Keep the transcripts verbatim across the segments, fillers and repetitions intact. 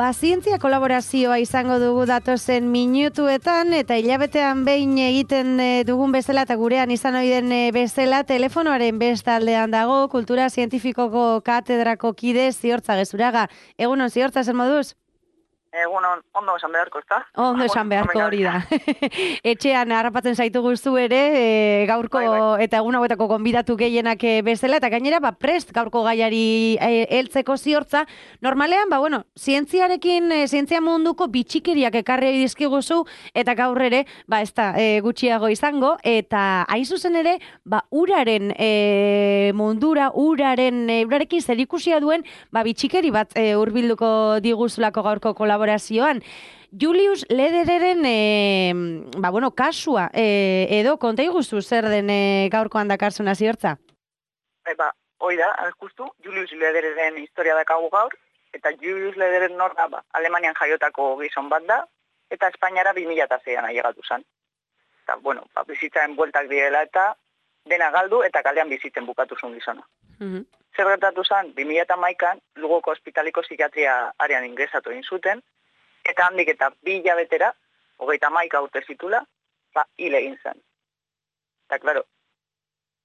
Ba, zientzia kolaborazioa izango dugu datozen minutuetan, eta hilabetean behin egiten dugun bezala eta gurean izan ohi den bezala, telefonoaren bestaldean dago, kultura zientifikoko katedrako kide Ziortza Gezuraga. Egunon, Ziortza, zer moduz? Egunon, ondo esan beharko, ez da? Ondo esan beharko hori da. Etxean harrapatzen zaitu guztu ere, e, gaurko bai, bai. eta egun hauetako gonbidatu gehienak bezala, eta gainera, ba, prest gaurko gaiari e, heltzeko Ziortza. Normalean, ba, bueno, zientziarekin, e, zientzia munduko bitxikeriak ekarri dizkiguzu, eta gaur ere, ba, ez da, e, gutxiago izango, eta hain zuzen ere, ba, uraren e, mundura, uraren, e, urarekin zerikusia duen, ba, bitxikeri bat e, hurbilduko diguzulako gaurko kolaborazioa. Julius Ledereren e, ba, bueno, kasua e, edo konta iguzu zer den e, gaurkoan dakarzuna Ziortza? E, ba, hoi da, justu, Julius Ledereren historia dakagu gaur, eta Julius Lederen nor da, ba, Alemanian jaiotako gizon bat da, eta Espainiara bi mila seian ailegatu zen. Eta, bueno, ba, bizitzaren bueltak direla eta dena galdu eta kalean bizitzen bukatu zuen gizona. Mm-hmm. Zer gertatu zen, bi mila hamaikan Lugoko ospitaliko psikiatria arean ingresatu egin zuten, eta handik eta bi hilabetera, hogeita hamaika urte zitula, ba, hil egin zen. Eta, klaro,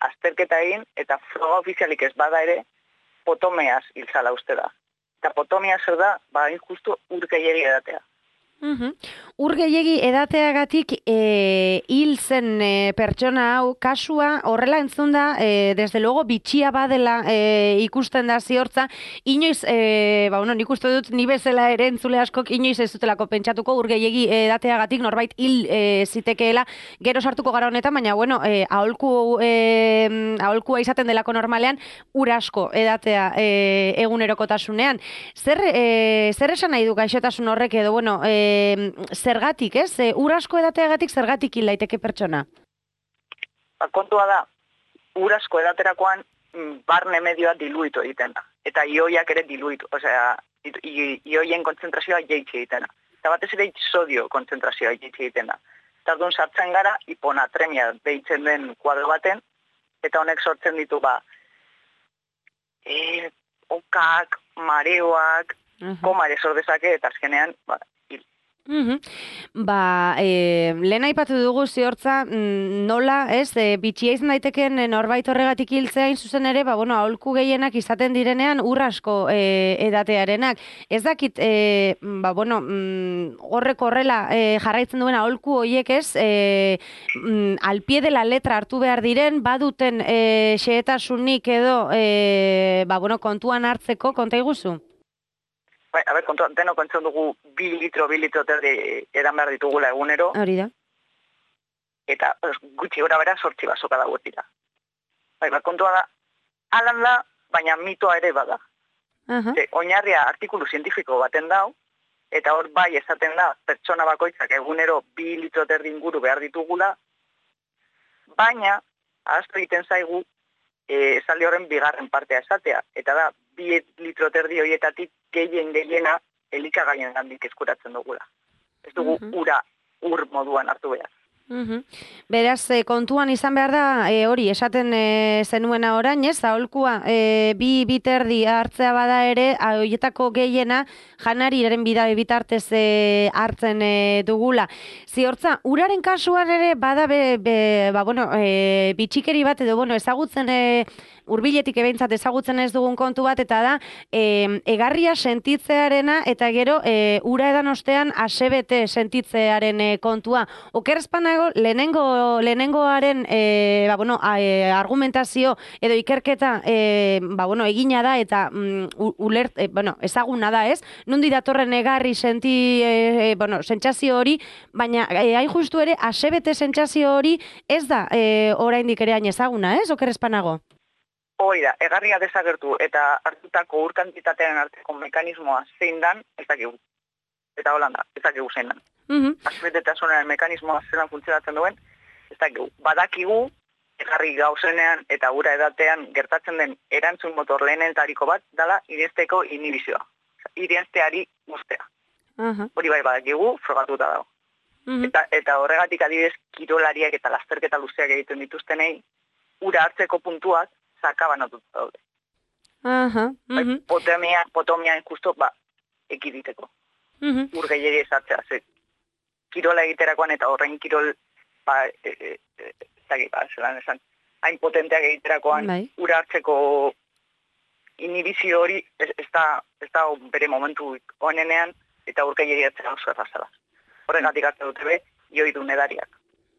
azterketa egin, eta froga ofizialik ez bada ere, potomeaz hil zala uste da. Eta potomea zer da, ba, injustu urkeiegi edatea. Uhum. Ur gehiegi edateagatik e, hil zen e, pertsona hau, kasua horrela entzun da, e, desde luego bitxia badela e, ikusten da Ziortza, inoiz, e, ba, bueno, nik uste dut ni bezala ere entzule askok inoiz ez dutelako pentsatuko ur gehiegi edateagatik norbait hil e, zitekeela, gero sartuko gara honetan, baina bueno, e, aholku, e, aholkua izaten delako normalean, ur asko edatea e, egunerokotasunean. Zer, e, zer esan nahi du gaixotasun horrek edo, bueno, e, zergatik, ez? E, ur asko edateagatik zergatik hil daiteke pertsona? Ba, kontua da, ur asko edaterakoan barne medioa diluitu egiten da. Eta ioiak ere diluitu, osea, ioien kontzentrazioa jeitsi egiten da. Eta batez ere sodio kontzentrazioa jeitsi egiten da. Eta orduan sartzen gara, hiponatremia deitzen den kuadro baten, eta honek sortzen ditu, ba, e, okak, mareoak, uh-huh. komare sor dezake, eta azkenean, ba, Uhum. Ba, e, lehen aipatu dugu Ziortza, nola, ez, e, bitxia izan daiteken norbait horregatik hiltzea hain zuzen ere, ba, bueno, aholku gehienak izaten direnean ur asko e, edatearenak. Ez dakit, e, ba, bueno, mm, horrek horrela e, jarraitzen duen aholku hoiek ez, e, mm, al pie de la letra hartu behar diren, baduten e, xehetasunik edo, e, ba, bueno, kontuan hartzeko, konta iguzu? Bai, a ber, kontu, deno kontzen dugu bi litro, bi litro terdi edan behar ditugula egunero. Hori da. Eta gutxi gora bera sortzi basoka dago dira. Bai, ba, kontua da, alan da, baina mitoa ere bada. Uh-huh. Ze, oinarria artikulu zientifiko baten dau, eta hor bai esaten da, pertsona bakoitzak egunero bi litro terdi inguru behar ditugula, baina, ahaztu egiten zaigu, e, esaldi horren bigarren partea esatea, eta da, bi litro terdi horietatik gehien gehiena elikagaien gandik eskuratzen dugula. Ez dugu uh-huh. ura ur moduan hartu behar. Uh-huh. Beraz, e, kontuan izan behar da, e, hori, esaten e, zenuena orain, ez, aholkua, e, bi biterdi hartzea bada ere, horietako gehiena janariren bida bitartez e, hartzen e, dugula. Ziortza, uraren kasuan ere bada be, be, ba, bueno, e, bitxikeri bat edo, bueno, ezagutzen e, urbiletik ebeintzat ezagutzen ez dugun kontu bat, eta da, e, egarria sentitzearena, eta gero, e, ura edan ostean asebete sentitzearen e, kontua. Okerrezpanago, lehenengo, lehenengoaren e, ba, bueno, a, e, argumentazio edo ikerketa e, ba, bueno, egina da, eta mm, ulert, e, bueno, ezaguna da, ez? Nundi datorren egarri senti, e, e, bueno, sentsazio hori, baina e, hain justu ere, asebete sentsazio hori ez da e, oraindik ere hain ezaguna, ez? Okerrezpanago? Hoi da, egarria desagertu eta hartutako ur kantitatearen arteko mekanismoa zein dan, ez dakigu. Eta holanda, ez dakigu zein dan. Uh-huh. Asbetetasunaren mekanismoa zelan funtzionatzen duen, ez dakigu. Badakigu, egarri gauzenean eta ura edatean gertatzen den erantzun motor lehenentariko bat, dala irensteko inhibizioa. Irensteari guztea. Uh-huh. Hori bai badakigu, frogatuta dago. Uh-huh. Eta, eta horregatik adibidez, kirolariak eta lasterketa luzeak egiten dituztenei, ura hartzeko puntuak, sakabanatuta daude. Aha, uh-huh. Potomia, potomia justo, ba, ekiditeko. Mm-hmm. Ur gehiegi ezatzea, ze kirola egiterakoan eta horren kirol, ba, e, e, e, zagi, ba, zelan esan, hain potenteak egiterakoan, bai. Ura hartzeko inhibizio hori ez, ez, da, ez da bere momentu onenean, eta ur gehiegi atzera oso errazala. Horregatik hartzen dute be, ioidun edariak.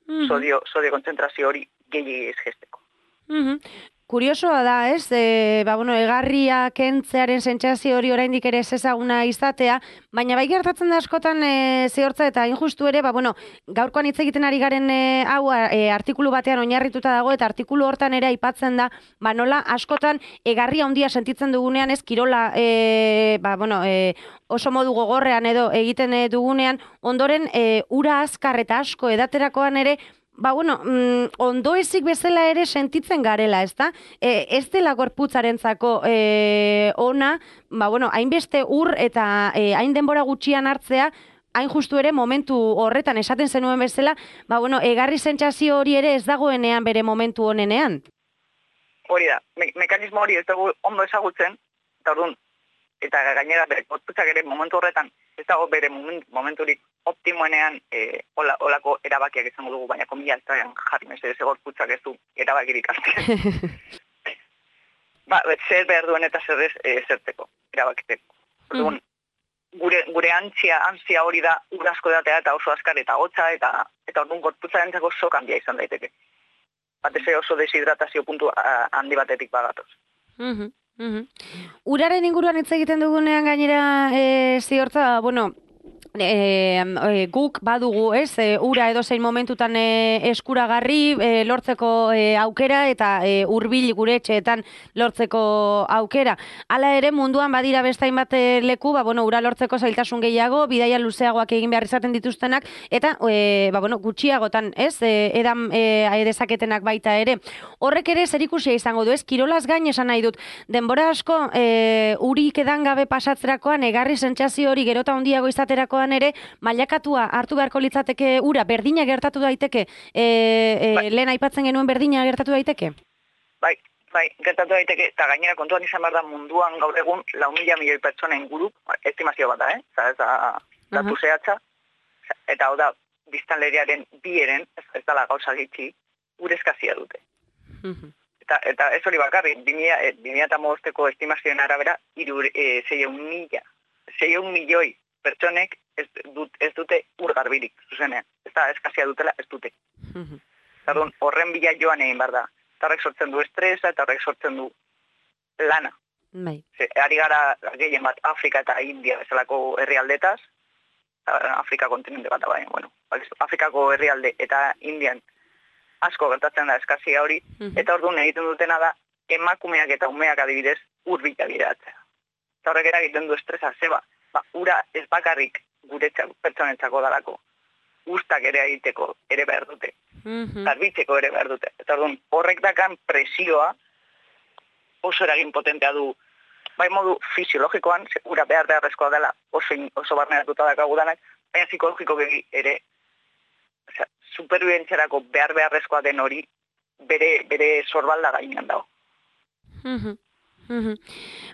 Mm-hmm. Sodio, sodio kontzentrazio hori gehiegi ez gesteko. Mm-hmm. Kuriosoa da, ez? E, ba, bueno, egarria kentzearen sentsazio hori oraindik ere ez ezaguna izatea, baina bai gertatzen da askotan e, zehortza eta injustu ere, ba, bueno, gaurkoan hitz egiten ari garen e, hau e, artikulu batean oinarrituta dago eta artikulu hortan ere aipatzen da, ba, nola askotan egarria handia sentitzen dugunean, ez kirola e, ba, bueno, e, oso modu gogorrean edo egiten e, dugunean, ondoren e, ura azkar eta asko edaterakoan ere, ba, bueno, mm, ondo ezik bezala ere sentitzen garela, ez da? E, ez dela gorputzarentzako e, ona, ba, bueno, hainbeste ur eta e, hain denbora gutxian hartzea, hain justu ere momentu horretan esaten zenuen bezala, ba, bueno, egarri sentsazio hori ere ez dagoenean bere momentu honenean. Hori da, me mekanismo hori ez dago ondo ezagutzen, eta orduan, eta gainera bere gorputzak ere momentu horretan, ez dago bere momenturik optimoenean e, ola, olako erabakiak izango dugu, baina komila ez da jarri mesedez gorputzak ez du erabakirik hartzen. Ba, zer behar duen eta zer ez e, zerteko, erabakiteko. Orduan, mm. gure, gure antzia, antzia hori da urasko datea eta oso askar eta hotza eta eta orduan gorputzaren zako sok handia izan daiteke. Batez oso deshidratazio puntu handi batetik bagatoz. Mm-hmm. Mm-hmm. Uraren inguruan hitz egiten dugunean gainera e, ziortza, bueno, E, e, guk badugu, ez, e, ura edo zein momentutan e, eskuragarri e, lortzeko e, aukera eta e, hurbil gure etxeetan lortzeko aukera. Hala ere munduan badira bestain bat leku, ba, bueno, ura lortzeko zailtasun gehiago, bidaia luzeagoak egin behar izaten dituztenak, eta e, ba, bueno, gutxiagotan, ez, e, edan e, dezaketenak baita ere. Horrek ere zerikusia izango du, ez, kirolaz gain esan nahi dut, denbora asko e, urik edan gabe pasatzerakoan, egarri sentsazio hori gerota handiago izaterakoan ere, mailakatua hartu beharko litzateke ura, berdina gertatu daiteke, e, e, bai. Lehen aipatzen genuen berdina gertatu daiteke? Bai, bai, gertatu daiteke, eta gainera kontuan izan behar da munduan gaur egun lau mila milioi pertsona inguru, estimazio bat da, eh? Zara, ez da datu uh-huh. zehatza, eta hau da, biztanleriaren bieren, ez, ez dala gauza gitxi, urezkazia dute. Uh-huh. Eta, eta ez hori bakarri, bi mila hamabosteko estimazioen arabera, iru, e, zeion mila, zeion milioi pertsonek ez, dut, ez dute ur garbirik, zuzenean. Ez da, eskazia dutela, ez dute. Mm-hmm. Zardun, horren bila joan egin behar da. Eta horrek sortzen du estresa, eta horrek sortzen du lana. Bai. Ze, ari gara gehien bat Afrika eta India bezalako herrialdetaz, Afrika kontinente bat, baina, bueno, Afrikako herrialde eta Indian asko gertatzen da eskazia hori, mm-hmm. eta orduan egiten dutena da, emakumeak eta umeak adibidez ur bila bideratzea. Eta horrek eragiten du estresa, zeba, ba, ura ez bakarrik guretzako pertsonetzako dalako, ustak ere egiteko ere behar dute, mm-hmm. garbitzeko ere behar dute. Eta orduan, horrek dakan presioa oso eragin potentea du, bai modu fisiologikoan, ura behar beharrezkoa dela oso, oso barneratuta dakagudanak, baina psikologiko ere, osea, superbibentziarako behar beharrezkoa den hori bere, bere sorbalda gainean dago. Mm-hmm. Mm-hmm.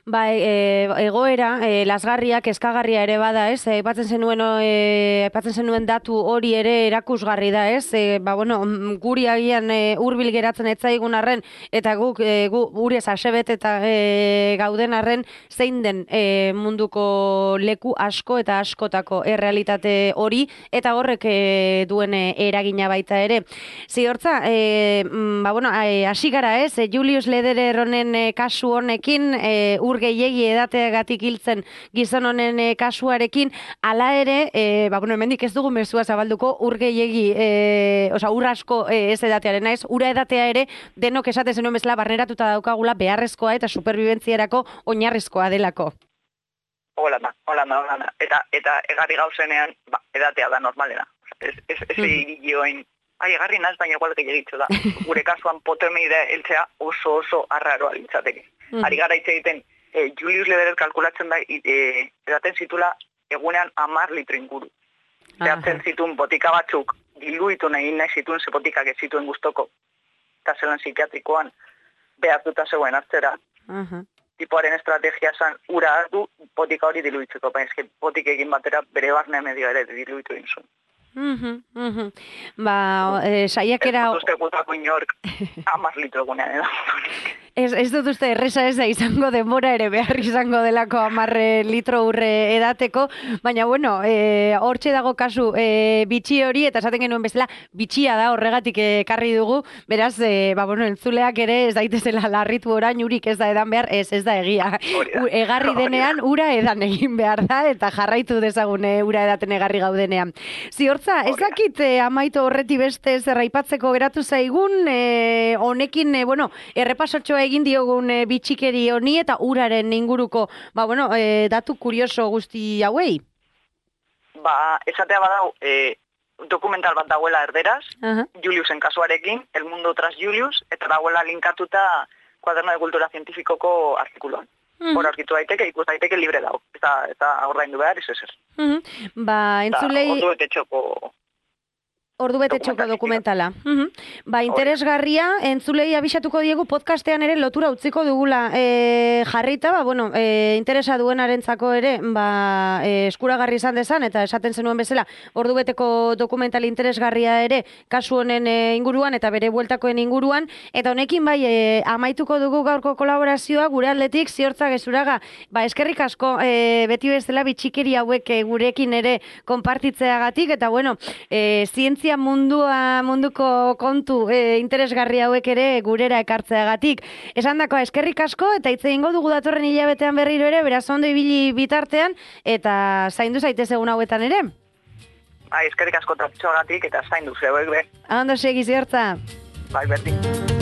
Ba, e, egoera, e, lasgarriak, eskagarria ere bada, ez? Aipatzen zenuen, e, aipatzen zenuen datu hori ere erakusgarri da, ez? E, ba, bueno, guri agian e, hurbil geratzen etzaigun arren, eta guk, e, gu, guri ez asebet eta e, gauden arren, zein den e, munduko leku asko eta askotako errealitate hori, eta horrek e, duen e, eragina baita ere. Ziortza, e, ba, bueno, hasi gara, ez? E, Julius Lederer honen e, kasu honekin, e, ur gehiegi edateagatik hiltzen gizon honen e, kasuarekin, hala ere, e, ba, bueno, hemendik ez dugu mezua zabalduko, ur gehiegi, e, oza, ur asko e, ez edatearen, ez? Ura edatea ere, denok esaten zenuen bezala barneratuta daukagula beharrezkoa eta superbibentzierako oinarrizkoa delako. Hola da, hola da, hola da. Eta, eta egarri gauzenean, ba, edatea da normalena. Ez, ez, ez mm. egin ai, egarri naz, baina igual gehiagitzu da. Gure kasuan potomeida eltzea oso oso arraroa litzateke. Mm. Ari gara hitz egiten, e, Julius Lederer kalkulatzen da, e, edaten zitula egunean amar litro inguru. Zehatzen zituen botika batzuk, diluitu nahi nahi zituen ze botikak ez zituen guztoko. Eta zelan psikiatrikoan behartuta zegoen hartzera. Uh-huh. tipoaren estrategia zan ura hartu botika hori diluitzeko, baina eske botik egin batera bere barne medio ere diluitu egin zuen. Mhm, mhm. Ba, eh, saiakera... Ez dut uste gutako inork hamar litro egunean edo. Ez, ez dut uste erresa ez da izango denbora ere behar izango delako amarre litro urre edateko, baina bueno, e, hortxe dago kasu e, bitxi hori, eta esaten genuen bezala, bitxia da horregatik ekarri dugu, beraz, e, ba, bueno, entzuleak ere ez daitezela larritu orain urik ez da edan behar, ez ez da egia. U, egarri denean ura edan egin behar da, eta jarraitu dezagune ura edaten egarri gaudenean. Ziortza, ez dakit e, amaitu horreti beste zer aipatzeko geratu zaigun, e, honekin, e, bueno, errepasotxoa egin diogun e, bitxikeri honi eta uraren inguruko, ba, bueno, e, datu kurioso guzti hauei? Ba, esatea badau, e, dokumental bat dagoela erderaz, uh-huh. Juliusen kasuarekin, El mundo tras Julius, eta dagoela linkatuta Cuaderno de Cultura Científicoko artikuluan. Uh-huh. Hor aurkitu daiteke, ikus daiteke libre dago. Eta, eta ordaindu behar, ez ezer. Uh-huh. Ba, entzulei... Ordu bete txoko... Ordu bete txoko dokumentala. Uh-huh. Ba, interesgarria, entzulei abisatuko diegu podcastean ere lotura utziko dugula e, jarrita, ba, bueno, e, interesa duenarentzako ere, ba, e, eskuragarri izan dezan, eta esaten zenuen bezala, ordu beteko dokumental interesgarria ere, kasu honen e, inguruan, eta bere bueltakoen inguruan, eta honekin bai, e, amaituko dugu gaurko kolaborazioa, gure atletik, Ziortza Gezuraga, ba, eskerrik asko, e, beti bezala bitxikeri hauek e, gurekin ere konpartitzeagatik, eta bueno, e, zientzia mundua, munduko kontu e, interesgarri hauek ere gurera ekartzeagatik. Esan dakoa, eskerrik asko, eta hitz egingo dugu datorren hilabetean berriro ere, beraz ondo ibili bitartean, eta zaindu zaitez egun hauetan ere. Bai, eskerrik asko tapitxoagatik, eta zaindu zeuek be. Ondo segi, Ziortza. Bai, berdin.